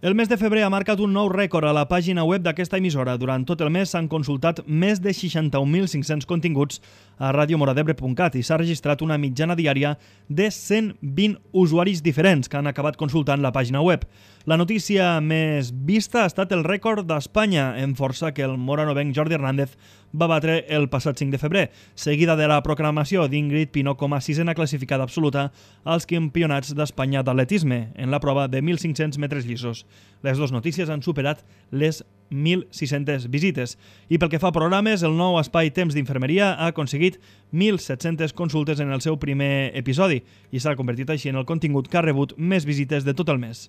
El mes de febrer ha marcat un nou rècord a la pàgina web d'aquesta emissora. Durant tot el mes s'han consultat més de 61.500 continguts a radiomoradebre.cat i s'ha registrat una mitjana diària de 120 usuaris diferents que han acabat consultant la pàgina web. La notícia més vista ha estat el rècord d'Espanya, en força que el moranovenc Jordi Hernández va batre el passat 5 de febrer, seguida de la proclamació d'Ingrid Pinó com a sisena classificada absoluta als campionats d'Espanya d'atletisme, en la prova de 1.500 metres llisos. Les dues notícies han superat les 1.600 visites. I pel que fa a programes, el nou espai Temps d'Infermeria ha aconseguit 1.700 consultes en el seu primer episodi i s'ha convertit així en el contingut que ha rebut més visites de tot el mes.